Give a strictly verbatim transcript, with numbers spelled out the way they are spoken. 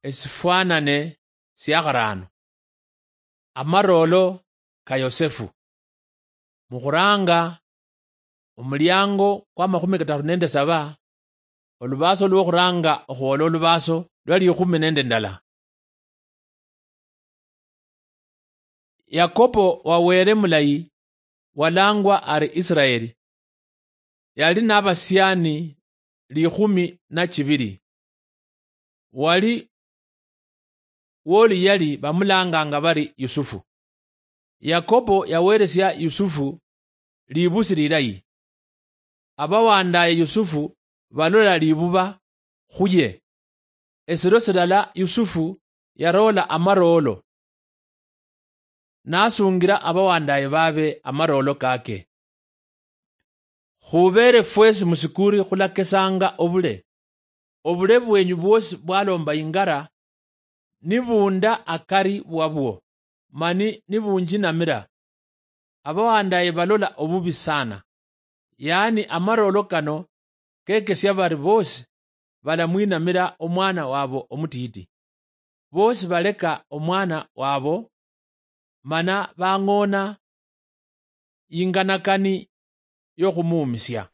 Esifwanane sia kharaano. Amaroolo ka Yosefu. Mukhuraanga omuliango kwa makhumi kataru nende saba, olubaaso lwokhuraanga okhwoola olubaaso lwa likhumi nende ndala. Yakobo wa Weere mulayi, walaangwa ari Isiraeli, yali nabasiani likhumi na chibiri. Wali woli yali bamulaanganga bari Yusufu. Yakobo yaweresia Yusufu libusi lilayi. Abawandaye Yusufu balola libuba khuye. Esiro silala Yusufu yaroola amaroolo, nasungira abawandaye baabe amaroolo kake. Khubeere fwesi musikuuri khulakesanga obule. Obule bwenyu bwosi bwalomba ingara, nibunda akari wabwo, mani nibunjinamira. Abawandaye balola obubi sana. Yaani amaroolo kano kekesia bari boosi balamwinamira omwana wabo omutiiti. Boosi baleka omwana wabo, mana bang'oona inganakani yokhumuumisia.